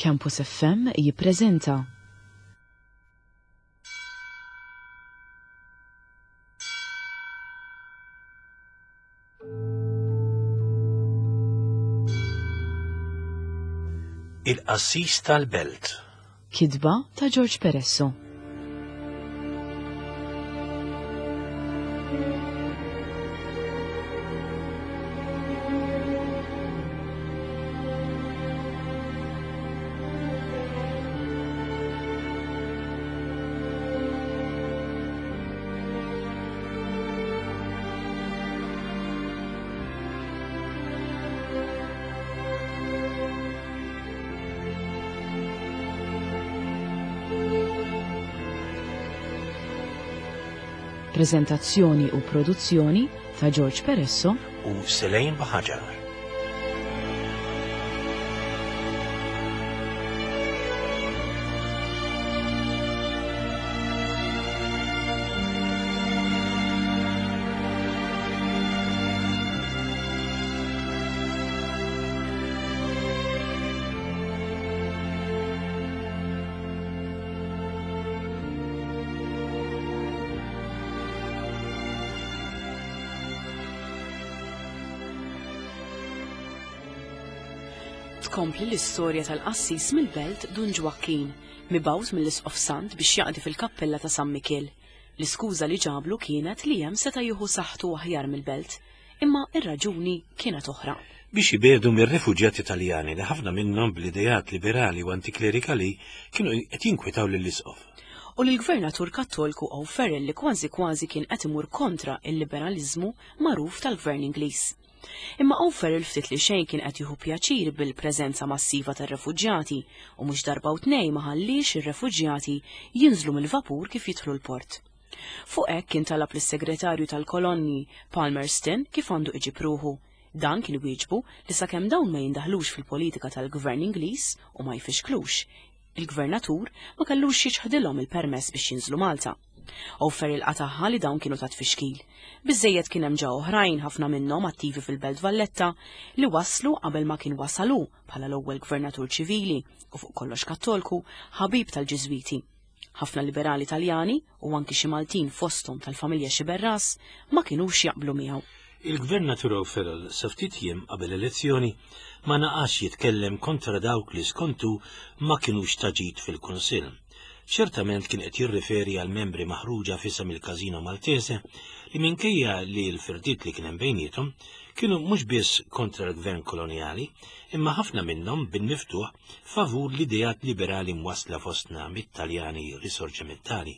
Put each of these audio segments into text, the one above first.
Campus FM jippreżenta. Il-Qassis tal-Belt. Kitba ta' George Peresso. Prezentazzjoni u produzzjoni ta' George Peresso u Selene Baħaġar. Tkompli l-istorja tal-qassis mill-belt Dun Ġwakkin, mibgħut mill-Isqof Sant biex jaqdi fil-kappella ta' San Mikiel. L-iskuża li ġablu kienet li hemm seta' jieħu saħħtu aħjar mill-belt, imma r-raġuni kienet oħra. Biex ibiegħdu mir-refuġjati Taljani li ħafna minnhom bl-ideat liberali u antiklerikali kienu qed jinkwetaw lill-Isqof. U lill-Gvernatur Kattolku O'Farrell li kważi kważi kien qed imur kontra l-liberaliżmu magħruf tal-Gvern Ingliż. Imma O'Farrell ftit li xejn kien qed jieħu pjaċir bil-preżenza massiva tar-refuġjati u mhux darba u tnejn ma ħalliex ir-refuġjati jinżlu mill-vapur kif jidħlu l-port. Fuq hekk kien talab lis-Segretarju tal-Kolonni, Palmerston, kif għandu iġib ruħu. Dan kien wieġbu li sakemm dawn ma jindaħlux fil-politika tal-Gvern Ingliż u ma jfixklux, il-Gvernatur ma kellux jiċħdilhom il-permess biex jinżlu Malta. O'Farrell qatagħha li dawn kienu ta' tfixkil. Biżżejjed kien hemm ġa oħrajn, ħafna minnhom attivi fil-Belt Valletta, li waslu qabel ma kien wasal hu bħala l-ewwel Gvernatur ċivili u fuq kollox Kattolku, ħabib tal-Ġiżwiti. Ħafna liberali Taljani, u anki xi Maltin fosthom tal-familja Sciberras, ma kinux jaqblu miegħu. Il-Gvernatur O'Farrell sa ftit jiem qabel elezzjoni ma naqasx jitkellem kontra dawk li skontu ma kinux ta' ġid fil-Kunsill. Ċertament kien qed jirriferi għal membri maħruġa f'isem il-Casino Maltese li minkejja li l-firdiet li kien hemm bejniethom kienu mhux biss kontra l-gvern kolonjali imma ħafna minnhom bil-miftuħ favur l-ideat liberali mwassla fostna mit-Taljani risorġimentali.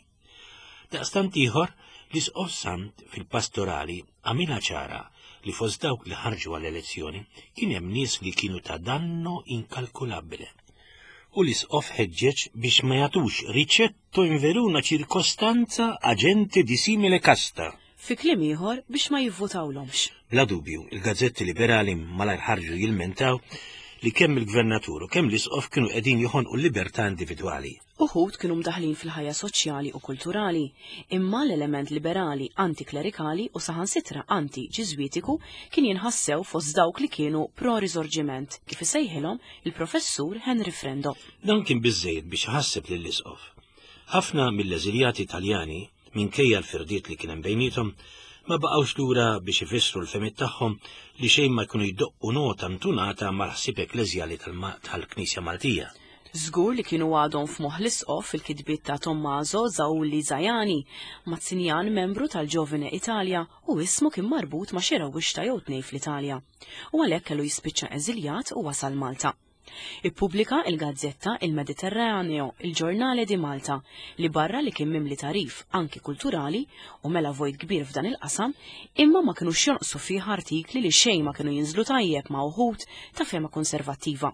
Daqstant ieħor, l-Isqof Sant fil-pastorali għamilha ċara li fost dawk li ħarġu għall-elezzjoni kien hemm nies li kienu ta' danno inkalkulabbile. U l-Isqof ħeġġeġ biex ma jagħtux ricetto in veruna ċirkostanza a gente di simile casta. Fi kliem ieħor biex ma jivvutawlhomx. Bla dubju, il-gazzetti liberali malajr ħarġu jilmentaw li kemm il-gvernatur u kemm l-isqof kienu qegħdin joħonqu l-libertà individwali. Uħud kienu mdaħħlin fil-ħajja soċjali u kulturali, imma l-element liberali anti-klerikali u saħansitra anti-Ġiżwitiku kien jinħass sew fost dawk li kienu pro-riżorġiment, kif isejħilhom il-Professur Henry Frendo. Dan kien biżżejjed biex iħasseb lill-isqof. Ħafna mill-eżiljati Taljani, minkejja l-firdiet li kien hemm bejniethom, ma baqgħux lura biex ifissru l-fehmiet tagħhom li xejn ma jkunu jdoqqu nota ntunata mal-ħsieb ekkleżjali tal-Knisja Maltija. Żgur li kienu għadhom f'moħħ l-Isqof il-kitbiet ta' Tommaso Zauli Zajani, Mazzinjan membru tal-Giovine Italia u ismu kien marbut ma' xi rewwixta jew tnejn fl-Italja. U għalhekk kellu jispiċċa eżiljat u wasal Malta. Ippubblika il-gazzetta Il Mediterraneo, Il Giornale di Malta, li barra li kien mimli tagħrif anki kulturali u mela vojt kbir f'dan il-qasam, imma ma kinux jonqsu fih artikli li xejn ma kienu jinżlu tajjeb ma' uħud ta' fehma konservattiva.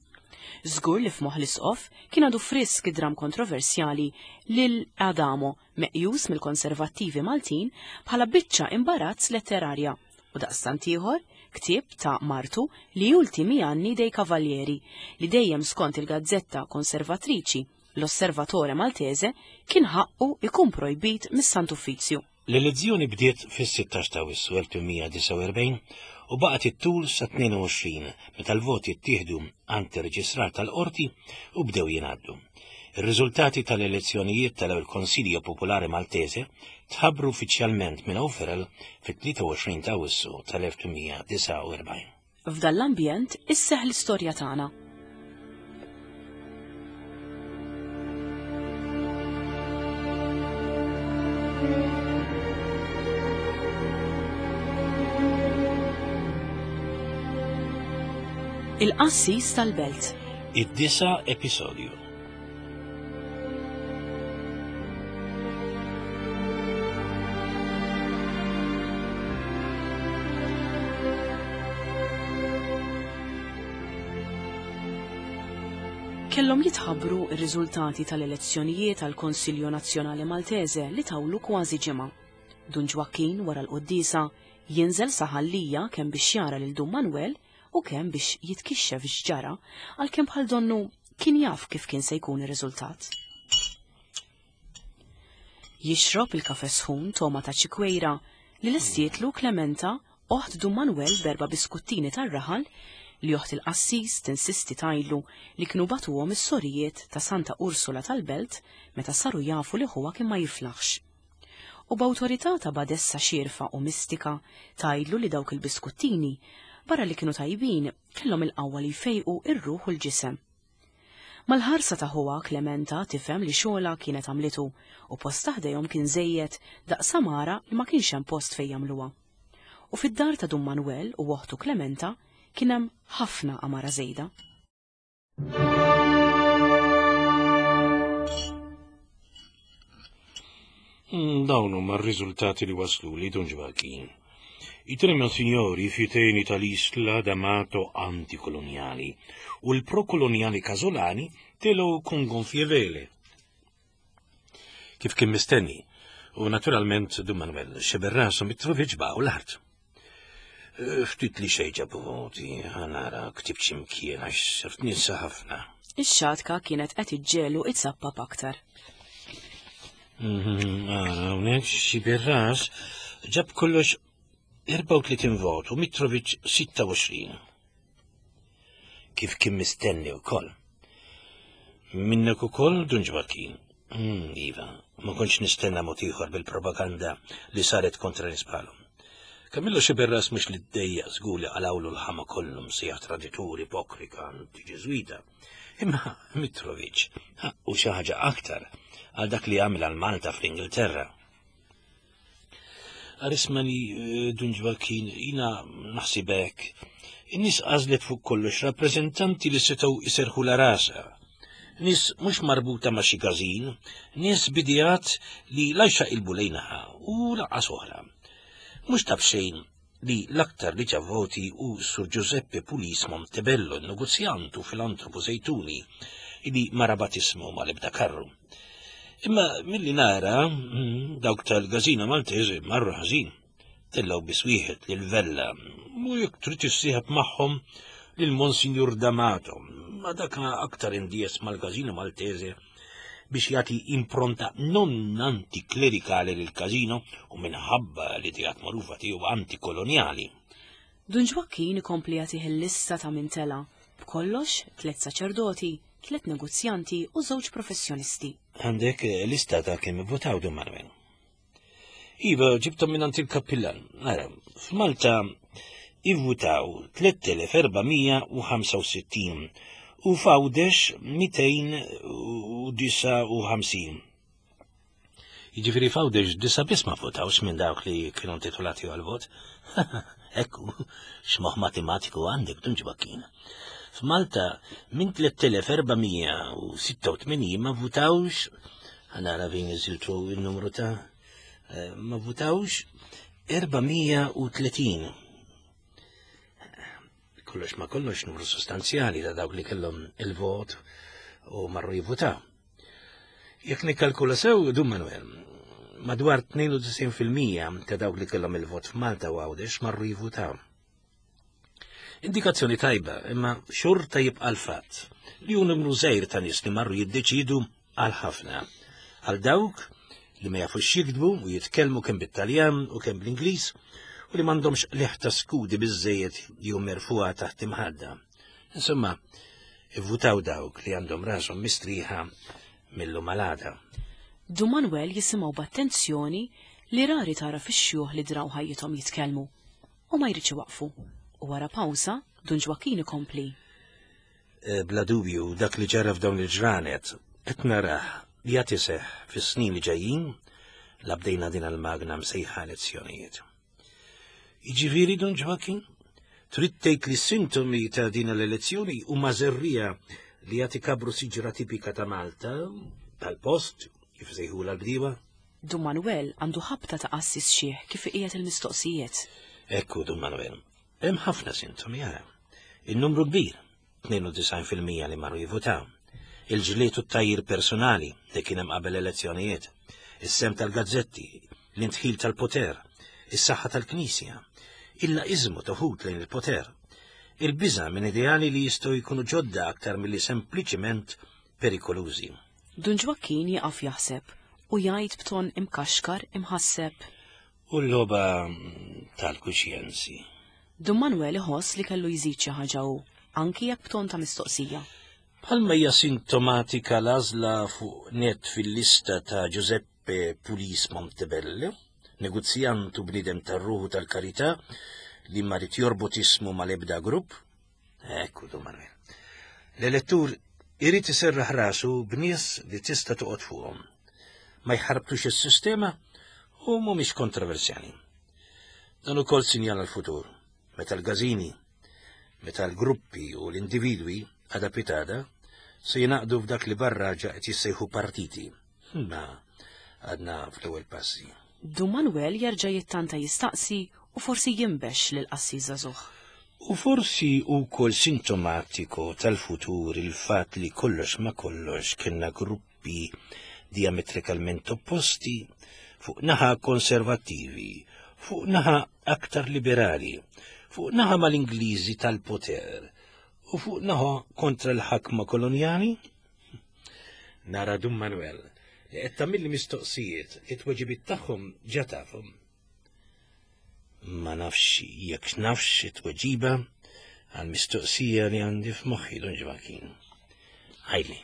Żgur li f'moħħ l-Isqof kien għadu frisk id-dramm kontroversjali Lil Adamo, meqjus mill-konservattivi Maltin bħala biċċa imbarazz letterarja u daqstant ieħor ktieb ta' martu Gli ultimi anni dei Cavalieri li dejjem skont il-gazzetta konservatriċi L'Osservatore Maltese kien ħaqqu ikun projbit mis-Sant Uffizzju. L-elezzjoni bdiet fis-16 ta' Awwissu 1849 u baqgħet ittul sa 22 meta l-voti ttieħdu għand ir-reġistrar tal-qorti u bdew jingħaddu. Ir-riżultati tal-elezzjonijiet tal-ewwel Consiglio Popolare Maltese tħabbru uffiċjalment minn O'Farrell fit-23 ta' Awwissu tal-1849. F'dan l-ambjent isseħħ l-istorja tagħna. Il-qassis tal-belt. Id-disa episodju. Kellhom jitħabbru r-riżultati tal-elezzjonijiet għal Konsilju Nazzjonali Maltese li tawlu kważi ġimgħa. Dun Ġwakkin wara l-quddiesa jinżel sa Ħal Lija kemm biex jara lil Dun Manwel u kemm biex jitkixxef x'ġara għalkemm bħal donnu kien jaf kif kien se jkun ir-riżultat. Jixrob il-kafe sħun toma ta' ċikwejra li lestietlu Klementa oħt Dun Manwel b'erba' biskuttini tar-raħal li oħt il-qassis tinsisti tgħidlu li kienu bagħtuhom is-sorijiet ta' Santa Ursula tal-Belt meta saru jafu li ħuha kien ma jiflaħx. U b'awtorità ta' badessa xierfa u mistika tgħidlu li dawk il-biskuttini, barra li kienu tajbin, kellhom il-qawwa li jfejqu r-ruħ u l-ġisem. Mal-ħarsa ta' ħuha Klementa tifhem li xogħolha kienet għamlitu u postha ħdejhom kien żejjed daqs għamara li ma kienx hemm post fejn jagħmluha. U fid-dar ta' Dun Manwel u oħtu Klementa kien hemm ħafna għamara żejda. Dawn huma r-riżultati li wasluli Dun Ġwakin. I tre monsignori fiteni tal-Isla d'Amato antikolonjali u l-prokolonjali Casolani telgħu con gonfie vele. Kif kien mistenni, u naturalment Dun Manuel xeber rasu Mitrovic baqgħu l-art. Eh, ftit li xejn ġabu voti, ħanara ktibt x'imkien għax sirt ninsa ħafna. Ix-xatka kienet qed iġġelu itzappap aktar. Mhm, ara, hawnhekk xi birras ġab kollox 34 vot u Mitrovic 26. Kif kien mistenni wkoll. Minnek ukoll Dun Ġwakin. Mm, iva, ma kontx nistenna mod ieħor bil-propaganda li saret kontra nisbalhom. Kamillo Xiberras mhux li ddejjaq żgur li qalawlu l-ħama kollu msejjaħ traditur, ipokrika, antiġeżwita. Imma Mitrovic ħaqqu xi ħaġa aktar għal dak li għamel għal Malta fl-Ingilterra. Arismani eh, Dun Ġwakin, jina naħsibek. In-nies għażlet fuq kollox rappreżentanti li setgħu iserħu la rasa. Nies mhux marbuta ma' xi każin, nies bidijat li la jxaqilbu lejnaħa u lanqas oħra. Mhux ta' b'xejn li l-aktar li ġab voti hu Sur Giuseppe Pulis Montebello, negozjant u filantropu Żejtuni, li ma rabat ismu mal-ebda karru. Imma milli nara, dawk tal-Gazina Maltese marru ħażin. Tellgħu biss wieħed lil Vella, u jekk trid issieħeb magħhom lil Monsinjur D'Amato, ma dak aktar indies mal-Gazina Maltese biex jagħti impronta non antiklerikali lil Casino u minħabba l-ideat magħrufa tiegħu antikolonjali. Dun Ġwakkin ikompli jagħtih il-lista ta' min tela', b'kollox tliet saċerdoti, tliet negozjanti u żewġ professjonisti. Għandek lista ta' kemm ivvutaw Dun Manuel? Iva, ġibthom minn il-kappillan. Ara, f'Malta ivvutaw 3465 u f'Għawdex 259. Jiġifieri f'Għawdex disa' biss ma vvutawx minn dawk li kienu intitolati għal-vot. Ekku, x'moħħ matematiku għandek Dun Ġwakkin. F'Malta minn 3486 ma vvutawx, ħanara fejn iżiltu il-numru ta' eh, ma vvutawx 430. Kollox ma kollox numru sostanzjali ta' dawk li kellhom il-vot u marru jivvutaw. Jekk nikkalkula sew, Dun Manuel, madwar 92% ta' dawk li kellhom il-vot f'Malta u Għawdex marru jivvutaw. Indikazzjoni tajba, imma xorta jibqa' l-fatt li hu numru żgħir ta' nies li marru jiddeċidu għal ħafna. Għal dawk li ma jafux jiktbu u jitkellmu kemm bit-Taljan u kemm bl-Ingliż u li m'għandhomx qligħ ta' skudi biżżejjed jew merfugħa taħt imħadda. Insomma, ivvutaw dawk li għandhom rashom mistrieħa mill-lum għal għada. Dun Manwel jisimgħu b'attenzjoni li rari tara fix-xjuħ li draw ħajjithom jitkellmu u ma jridx iwaqqfu. U wara pawża, Dun Ġwakkin ikompli. Eh, bla dubju, dak li ġara f'dawn il-ġranet qed narah li għad iseħħ fis-snin li ġejjin la bdejna din il-magna msejħa elezzjonijiet. Jiġifieri Dun Ġwakin, trid tgħid li s-sintomi ta' din l-elezzjoni huma żerriegħa li għad ikabru siġra tipika ta' Malta, tal-post, kif sejħula l-bdiewa? Dun Manuel għandu ħabta ta' qassis xiħ kif iqiegħed il-mistoqsijiet. Ekku, Dun Manuel, hemm ħafna sintomi ara. Il-numru kbir, 92% li marru jivvutaw. Il-ġlied u t-tgħajjir personali li kien hemm qabel elezzjonijiet, is-sehem tal-gazzetti, l-indħil tal-poter, is-saħħa tal-Knisja, il-laqiżmu ta' wħud lejn il-poter, il-biża' minn ideali li jistgħu jkunu ġodda aktar milli sempliċiment perikolużi. Dun Ġwakkin jieqaf jaħseb u jgħid b'ton imkaxkar imħasseb. U l-logħba tal-kuxjenzi. Dun Manwel iħoss li kellu jżid xi ħaġa hu, anki jekk b'ton ta' mistoqsija. Bħalma hija sintomatika l-għażla fuq nett fil-lista ta' Giuseppe Pulis Montebello, negozjant u bniedem tar-ruħ u tal-karità li ma ried jorbot ismu mal-ebda grupp. Ekku, Dun Manwel. L-elettur irid iserraħ rasu b'nies li tista' toqgħod fuqhom. Ma jħarbtux is-sistema u mhumiex kontroversjali. Dan ukoll sinjal għall-futur, meta l-gażini, meta l-gruppi u l-individwi għada pitada se jingħaqdu f'dak li barra ġa qed jissejħu partiti. Imma għadna fl-ewwel passi. Dun Manwel jerġa' jittanta jistaqsi u forsi jinbex lill-qassis żagħżugħ. U forsi hu wkoll sintomatiku tal-futur il-fatt li kollox ma' kollox kellna gruppi gruppi diametrikalment opposti, fuq naħa konservattivi, fuq naħa aktar liberali, fuq naħa mal-Ingliżi tal-poter u fuq naħa kontra l-ħakma kolonjali? Nara Dun Manuel li qed tagħmilli mistoqsijiet li t-tweġibiet tagħhom ġa tafhom. Ma nafx jekk nafx it-tweġiba għall-mistoqsija li għandi f'moħħi Dun Ġvakin. Ħajli.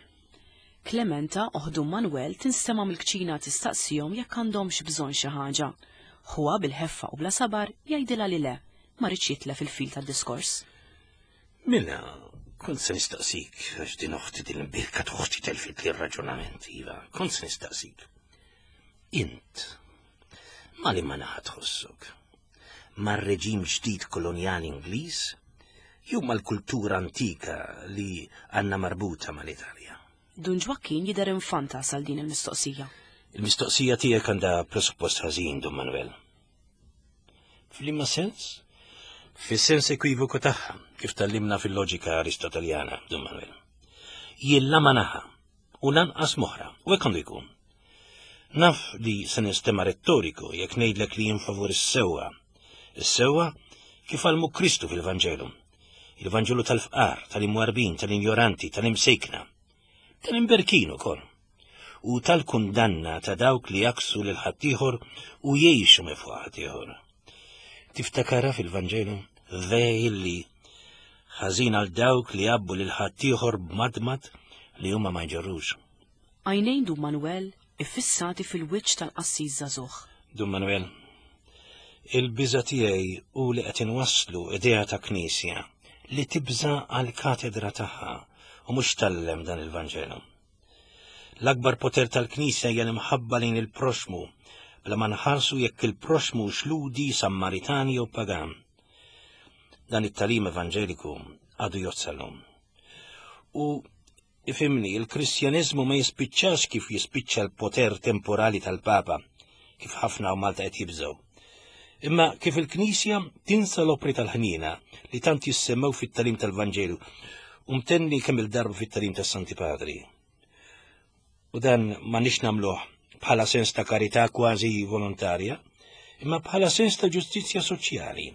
Klementa oħt Dun Manwel tinstema' mill-kċina tistaqsihom jekk għandhomx bżonn xi ħaġa. Ħuha bil-ħeffa u bla sabar jgħidilha li le, ma riedx jitlef il-fil tad-diskors. Mela, kont se nistaqsik, għax din oħti din l-imbierka t'oħti telfitli r-raġunament, iva, kont se nistaqsik. Int, ma li ma naħa tħossok? Mar-reġim ġdid kolonjali Ingliż jew mal-kultura antika li għandna marbuta mal-Italja? Dun Ġwakkin jidher infantas għal din il-mistoqsija. Il-mistoqsija tiegħek għandha presuppost ħażin, Dun Manuel. F'liema sens? Fis-sens ekwivoku tagħha, kif tgħallimna fil-loġika Aristoteljana, Dun Manuel. Jien la ma naħa u lanqas moħra, u hekk għandu jkun. Naf li se ninstema' rettoriku jekk ngħidlek li jien favur is-sewwa. Is-sewwa kif għallmu Kristu fil-Vanġelu. Il-Vanġelu tal-fqar, tal-imwarbin, tal-injoranti, tal-imsejkna, tal-imberkin ukoll. U tal-kundanna ta' dawk li jaksu lil ħaddieħor u jgħixu minn fuq ħaddieħor. Tiftakarha fil-Vanġelu? Vejli ħażin għal dawk li jgħabbu lil ħaddieħor b'madmad li huma ma jġorrux. Għajnejn Dun Manwel iffissati fil-wiċċ tal-qassis żagħżugħ. Dun Manwel, il-biża' tiegħi hu li qed inwasslu idea ta' Knisja li tibża' għall-katedra tagħha u mhux tgħallem dan il-Vanġelu. L-akbar poter tal-Knisja hija l-imħabba lejn il-proxxmu, bla ma nħarsu jekk il-proxxmu hux Lhudi, Sammaritan jew pagan. Dan it-tagħlim evanġeliku għadu jgħodd sal-lum. U Ifhimni, il-Kristjaneżmu ma jispiċċax kif jispiċċa l-poter temporali tal-Papa, kif ħafna hawn Malta qed jibżgħu. Imma kif il-Knisja tinsa l-opri tal-ħniena li tant jissemmew fit-tagħlim tal-Vanġelu u mtenni kemm il-darba fit-tagħlim tas-Santi Padri. U dan ma nix nagħmluh bħala sens ta' karità kważi volontarja, imma bħala sens ta' ġustizzja soċjali,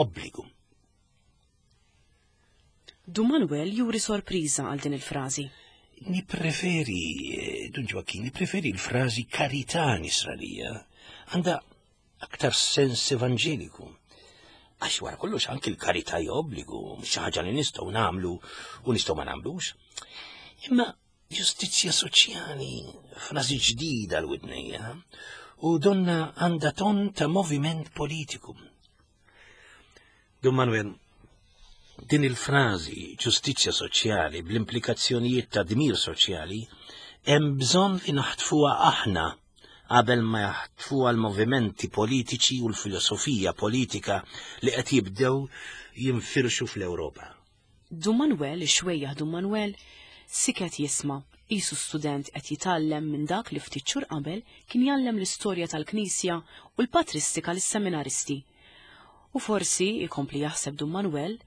obbligu. Dun Manuel juri sorpriża għal din il-frażi. Nippreferi, eh, Dun Ġwakkin, nippreferi l-frażi karità nisranija. Għandha aktar sens evanġeliku. Għax wara kollox anki l-karità hija obbligu, mhux xi ħaġa li nistgħu nagħmlu u nistgħu ma nagħmlux. Imma ġustizzja soċjali, frażi ġdida l-widnejja, u donna għandha ton ta' moviment politiku. Dun Manuel, din il-frażi ġustizzja soċjali bl-implikazzjonijiet ta' dmir soċjali hemm bżonn li naħtfuha aħna qabel ma jaħtfuha l-movimenti politiċi u l-filosofija politika li qed jibdew jinfirxu fl-Ewropa. Dun Manuel, ix-xwejjaħ Dun Manuel, siket jisma', qisu student qed jitgħallem minn dak li ftit xhur qabel kien jgħallem l-istorja tal-Knisja u l-patristika lis-seminaristi. U forsi, ikompli jaħseb Dun Manuel,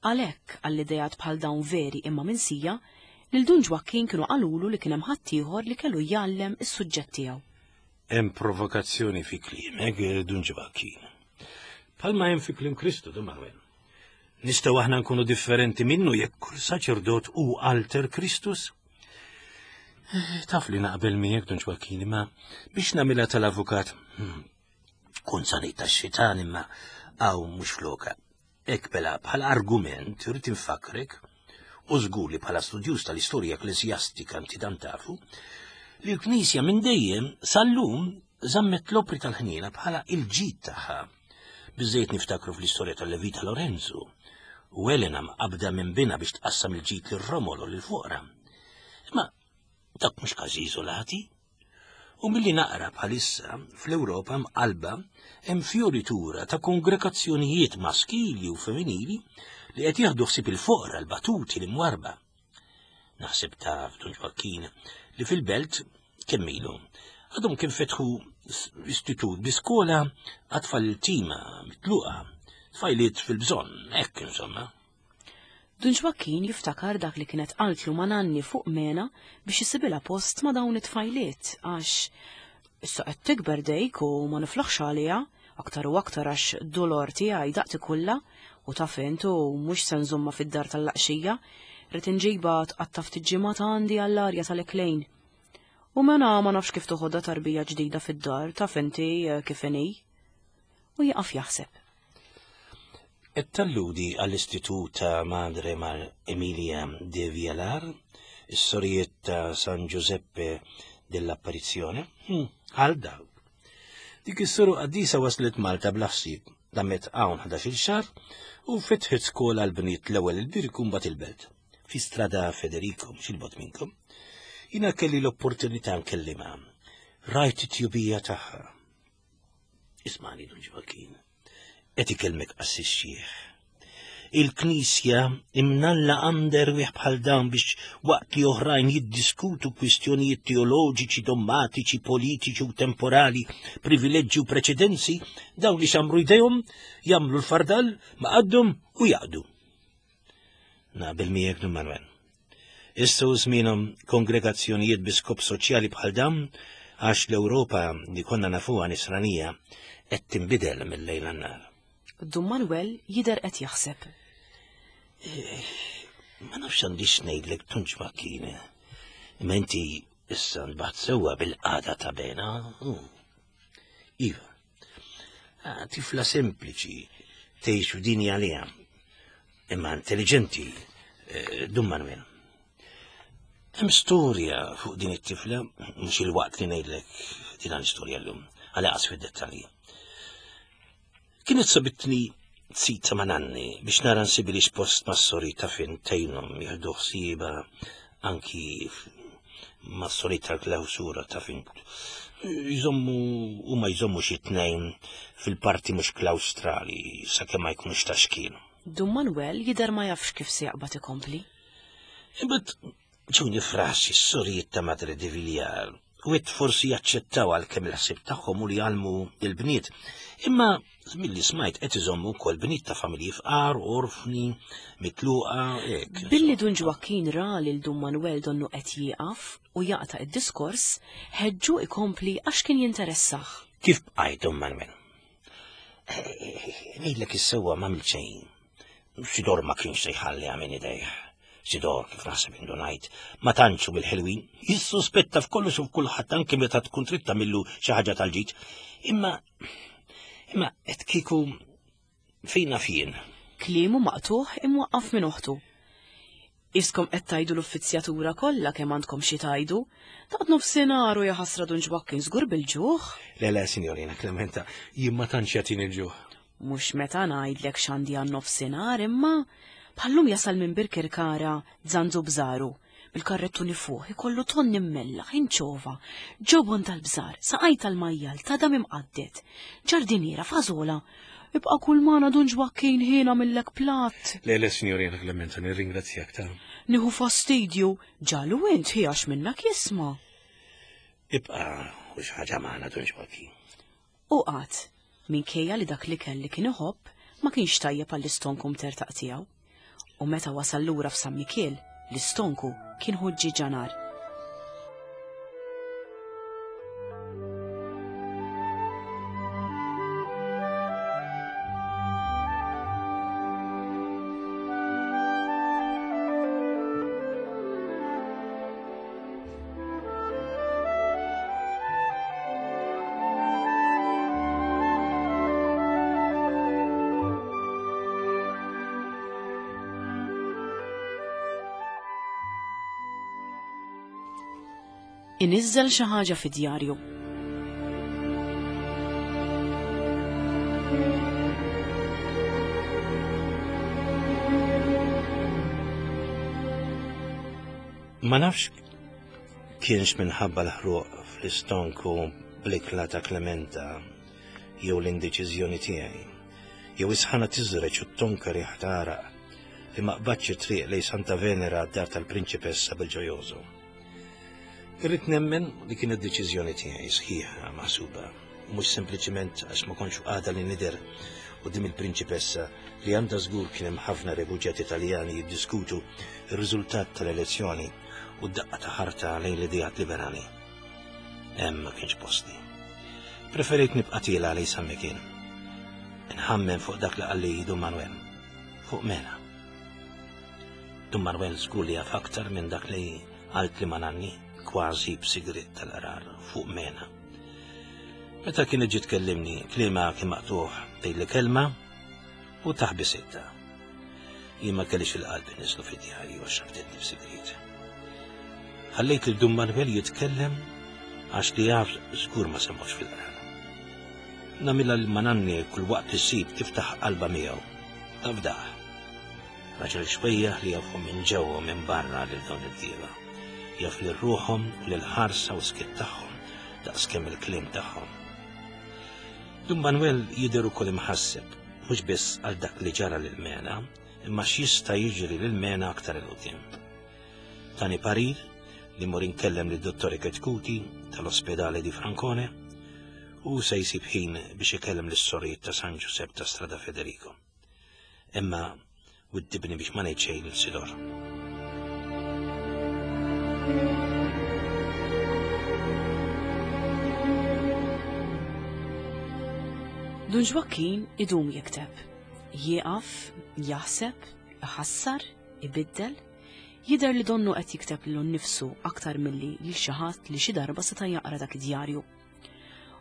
għalhekk, għall-ideat bħal dawn veri imma minsija, lil Dun Ġwakkin kienu qalulu li kien hemm ħaddieħor li kellu jgħallem is-suġġett tiegħu. Hemm provokazzjoni fi kliemek, Dun Ġwakkin. Bħalma hemm fi kliem Kristu, Dun Manuel. Nistgħu aħna nkunu differenti minnu jekk kull saċerdot hu alter Kristus? Eh, taf li naqbel miegħek Dun Ġwakkin, imma biex nagħmilha tal-avukat, hmm, kun sanit tax-xitan imma hawn mhux floka. Hekk bela bħala argument irid infakrek u żgur li bħala studjuż tal-istorja ekklesjastika inti dan tafu, li l-Knisja minn dejjem sal-lum żammet l-opri tal-ħniena bħala il-ġid tagħha. Biżżejjed niftakru fl-istorja tal-Levita Lorenzu u Elena mqabbda minn binha biex tqassam il-ġid lir-romol u lill-foqra. Imma dak mhux każi iżolati. U milli naqra bħalissa fl-Ewropa mqalba hemm fjoritura ta' kongregazzjonijiet maskili u femminili li qed jieħdu ħsieb il-foqra, l-batuti, l-imwarba. Naħseb taf, Dun Ġwakkin, li fil-belt kemm ilu għadhom kien fetħu istitut bi skola għat-tfal il-tima mitluqa, tfajliet fil-bżonn, hekk insomma. Dun Ġwakkin jiftakar dak li kienet qaltlu ma' Nanni fuq Mena biex isibilha post ma' dawn it-tfajliet għax issa qed tikber dejk u ma niflaħx għaliha, aktar u aktar għax dolor tiegħi daqt ikullha u taf int u mhux se nżommha fid-dar tal-laqxija, rrid inġibha tqatta' ftit ġimgħat għandi għall-arja tal-eklejn. U mena ma nafx kif toħodha tarbija ġdida fid-dar, taf inti eh, kif inhi. U jieqaf jaħseb. Qed talludi għall-Istitut ta' Madre Mar Emilia de Vialar, is-sorijiet ta' San Giuseppe dell'Apparizione? Hmm, għal dawk. Dik is-soru qaddisa waslet Malta bla ħsieb, damet hawn 11-il xahar u fetħet skola għal bniet l-ewwel il-Birgu mbagħad il-Belt. Fi Strada Federico, mhux il-bogħod minnkom. Jiena kelli l-opportunità nkellimha. Rajt it-tjubija tagħha. Ismani Dun Ġvakin. Qed ikellmek qassis xieħ. Il-Knisja imnalla għandha erwieħ bħal dawn biex waqt li oħrajn jiddiskutu kwistjonijiet teoloġiċi, dommatiċi, politiċi u temporali, privileġġi u preċedenzi, dawn li xamru jdejhom, jagħmlu l-fardal ma' qaddhom u jaqdu. Naqbel miegħek Dun Manuel. Issa hu żmienhom kongregazzjonijiet bi skop soċjali bħal dawn għax l-Ewropa li konna nafuha nisranija qed tinbidel mill-lejl għan-nhar. Dun Manuel jidher qed jaħseb. Eh, ma nafx għandix ngħidlek tunġ makkina. Imma inti issa nbaħt sewwa bil-qagħda ta' bena. Iva, ah, tifla sempliċi tgħix f'dinja għaliha. Imma intelligenti, eh, Dun Manuel. Hemm storja fuq din it-tifla, mhux il-waqt li ngħidlek din l-istorja llum, għal qas fid-dettalji. Kienet sabitni zita ma' nanni biex nara nsibili post mas-sori ta' fin tgħinhom jieħdu ħsieba anki mas-sori tal-klawsura ta' fin jżommu u ma jżommu xi tnejn fil-parti mhux klawstrali sakemm ma jkunux ta' xkien. Dun Manuel jidher ma jafx kif se jaqbad ikompli. Imbagħad ġewni frasi s-sorijiet ta' Madre de Villar u għedt forsi jaċċettaw għalkemm il-ħsieb tagħhom hu li jgħallmu l-bniet. Imma milli smajt qed iżommu wkoll bniet ta' familji fqar, orfni, mitluqa, hekk. Billi Dun Ġwakkin ra lil Dun Manuel donnu qed jieqaf u jaqta' id-diskors, ħeġġu ikompli għax kien jinteressah. Kif bqajt Dun Manuel? Eh, ngħidlek is-sewwa m'għamilt xejn. Sidor ma kienx se jħalliha minn idejh. Sidor, kif naħseb indunajt, ma tantx hu mill-ħelwin, jissuspetta f'kollox u f'kulħadd anke meta tkun trid tagħmillu xi ħaġa tal-ġid. Imma imma qed kieku Fejn naf jien? Kliemu maqtugħ imwaqqaf minn oħtu. Iskom qed tgħidu l-uffizzjatura kollha kemm għandkom xi tgħidu. Daqt nofsinhar u jaħasra Dun Ġwakkin żgur bil-ġuħ. Le le, Signorina Clementa, jien ma tantx jagħtini l-ġuħ. Mhux meta ngħidlek x'għandi għan nofsinhar imma bħallum jasal minn Birkirkara Zanzu Bżaru bil-karrettuni fuq ikollu tonn immellaħ, inċova, ġobon tal-bżar, saqaj tal-majjal, tadam imqadded, ġardiniera, fażola. Ibqa' kull magħna Dun Ġwakkin ħin għamillek platt. Le, le, Signorina Clemenza, nirringrazzjak ta'. Nieħu fastidju, ġalu int ħi għax minnak jisma'. Ibqa' u xi ħaġa magħna Dun Ġwakkin. U qagħad, minkejja li dak l-ikel li kien iħobb ma kienx tajjeb għall-istonku mtertaq tiegħu. U meta wasal lura f'San Mikiel, l-istonku kien ħuġġieġa nar. Iniżżel xi ħaġa fid-djarju. Ma nafx kienx minħabba l-ħruq fl-istonku bl-ikla ta' Clementa jew l-indeċiżjoni tiegħi, jew is-sħana tiżreġ u t-tonka riħ tagħraq li ma qbadx it-triq lejn Santa Venera għad-dar tal-Prinċipessa bil-Ġojoso. Irrid nemmen li kienet deċiżjoni tiegħi sħiħa maħsuba, u mhux sempliċement għax ma kontx għada li nidher quddiem il-Prinċipessa li għandha żgur kien hemm ħafna refuġjati Taljani jiddiskutu r-riżultat tal-elezzjoni u d-daqqa ta' ħarta lejn l-ideat liberali. Hemm ma kienx posti. Preferejt nibqa' tiela lejn San Mikiel. Nħammem fuq dak li qalli Dun Manuel, fuq Mena. Dun Manuel żgur li jaf aktar minn dak li qaltli ma' nanni, kważi b'sigriet tal-qrar fuq Mena. Meta kienet ġiet tkellimni, kliemha kien maqtugħ tgħidli kelma u taħbi sitta. Jien ma kellix il-qalb inniżlu fid-djarju għax rabtitni f'sigriet. Ħallejt lil Dun Manuel jitkellem għax li jaf żgur ma semmux fil-qrar. Nagħmilha lil mananni kull waqt li ssib tiftaħ qalbha miegħu. Tafdah. Raġel xwejjaħ li jafhom minn ġewwa u minn barra lil dawn il-bdiewa. Jaf lil ruħhom u lil ħarsa u skiet tagħhom daqskemm il-kliem tagħhom. Dun Manuel jidher ukoll imħasseb, mhux biss għal dak li ġara lil Mena, imma x'jista' jiġri lil Mena aktar 'il quddiem. Tani parir li mmur inkellem lid Dottore Chetcuti tal-Ospedale di Francone u se jsib ħin biex ikellem lis-sorijiet ta' San Ġusepp ta' Strada Federico. Imma widdibni biex ma ngħid xejn lil Sidor. Dun Ġwakkin idum jikteb. Jieqaf, jaħseb, iħassar, ibiddel, jidher li donnu qed jikteb lilu nnifsu aktar milli lil xi ħadd li xi darba seta' jaqra dak id-djarju.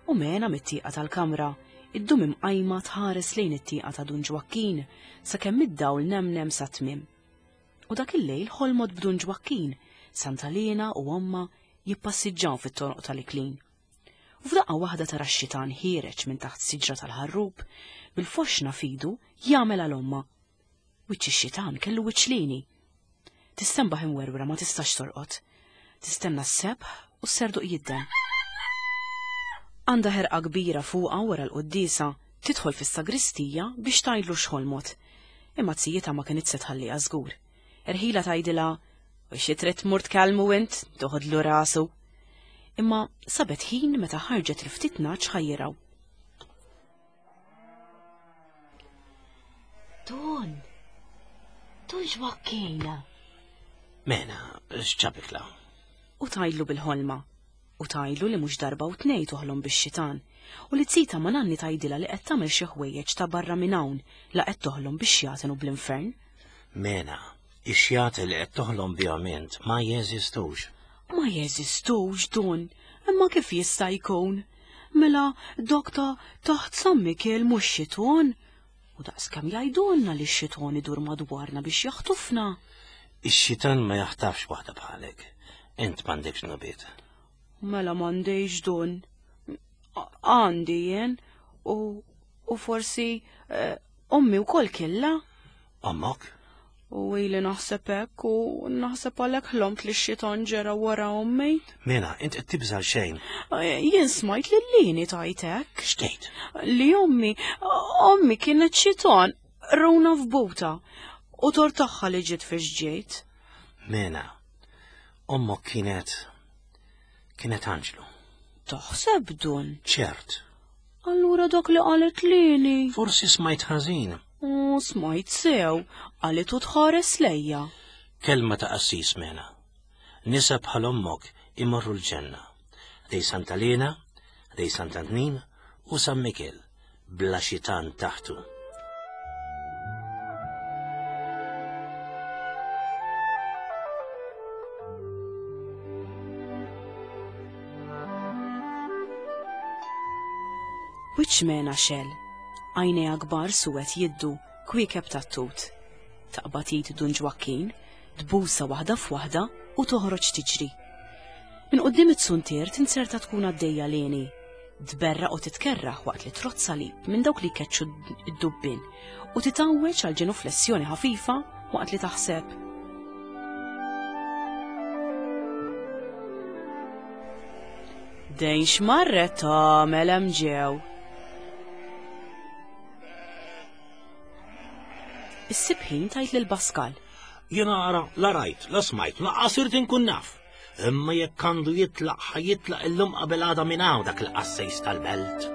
U Mena mit-tieqa tal-kamra, iddum imqajma tħares lejn it-tieqa ta' Dun Ġwakkin sakemm id-dawl nemnem sat-tmiem. U dak il-lejl ħolmot b'Dun Ġwakkin, Santa Liena u ommha jippassiġġaw fit-toroq tal-Iklin. U f'daqqa waħda tara x-xitan ħiereġ minn taħt siġra tal-ħarrub, bil-foxna f'idu jagħmel għal ommha. Wiċċ ix-xitan kellu wiċċ lini. Tistenbaħ imwerwra ma tistax torqod. Tistenna s-sebħ u s-serduq jidden. Għandha ħerqa kbira fuqha wara l-quddiesa tidħol fis-sagristija biex tgħidlu x'ħolmot. Imma zijietha ma kinitx se tħalliha żgur. Erħila tgħidilha u xi trid tmur tkellmu int, toħodlu rasu. Imma sabet ħin meta ħarġet il-ftit nagħaġ ħajjiraw. Dun! Dun xwakkejna! Mena, x'ġabek la? U tajlu bil-ħolma. U tajlu li mhux darba u tnej toħlom bix-xitan. U li zita ma nanni tajdilha li qed tagħmel xi ħwejjeġ ta' barra minn hawn la qed toħlom bix-xjaten u bl-infern. Mena, ix-xjaten li qed toħlom bihom int ma jeżistux. Ma jeżistux, Dun, imma kif jista' jkun? Mela dak ta' taħt San Mikiel mhux xiton? U daqskemm jgħidulna li x-xitan idur madwarna biex jaħtufna. Ix-xitan ma jaħtafx waħda bħalek. Int m'għandekx nubiet. Mela m'għandix dun. Għandi jien u, u forsi eh, ommi wkoll kella. Ommok? U ili naħseb hekk u naħseb għalhekk ħlomt li x-xitan ġera wara ommi. Mela, int qed tibża' xejn. Eh, jien smajt lil Lini tajt hekk. X'tgħid? Li ommi, ommi kienet xitan, runa f'buta u tor tagħha li ġiet fiex ġejt. Mela, ommok kienet kienet anġlu. Taħseb dun? Ċert. Allura dak li qalet lili. Forsi smajt ħażin. U smajt sew, qalet u tħares lejja. Kelma ta' qassis mena. Nisa bħal ommok imorru l-ġenna. Dej Santa Lena, dej Sant'Antnin u San Mikiel, bla xitan taħtu. Wiċċ Mena xell. Għajnejha kbar suwed jiddu, kwiekeb tat-tut. Taqbad id Dun Ġwakkin, tbusha waħda f'waħda u toħroġ tiġri. Minn quddiem it-suntier tinzerta tkun għaddejja Leni. Tberraq u titkerrah waqt li trott salib minn dawk li jkeċċu d-dubbien u titgħawweġ għal ġenuflessjoni ħafifa waqt li taħseb. Dejn x'marret tagħmel hemm ġew. Issib ħin tajt lil Pascal. Jiena ara la rajt, la smajt, lanqas irid inkun naf. Imma jekk għandu jitlaq ħa jitlaq illum qabel għada minn hawn dak il-qassejs tal-belt.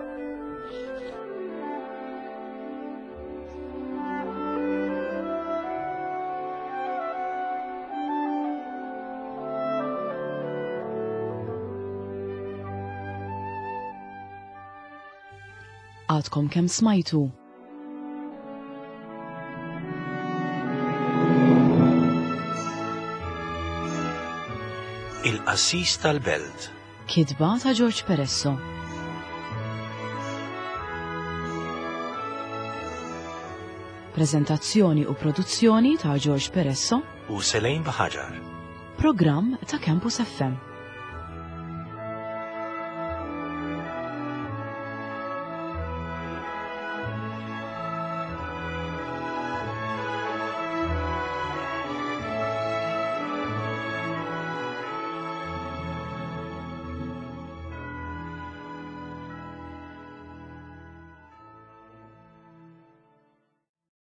Għadkom kemm smajtu Il-qassis tal-belt. Kitba ta' George Peresso. Prezentazzjoni u produzzjoni ta' George Peresso u Selejn Baħaġar. Programm ta' Campus FM.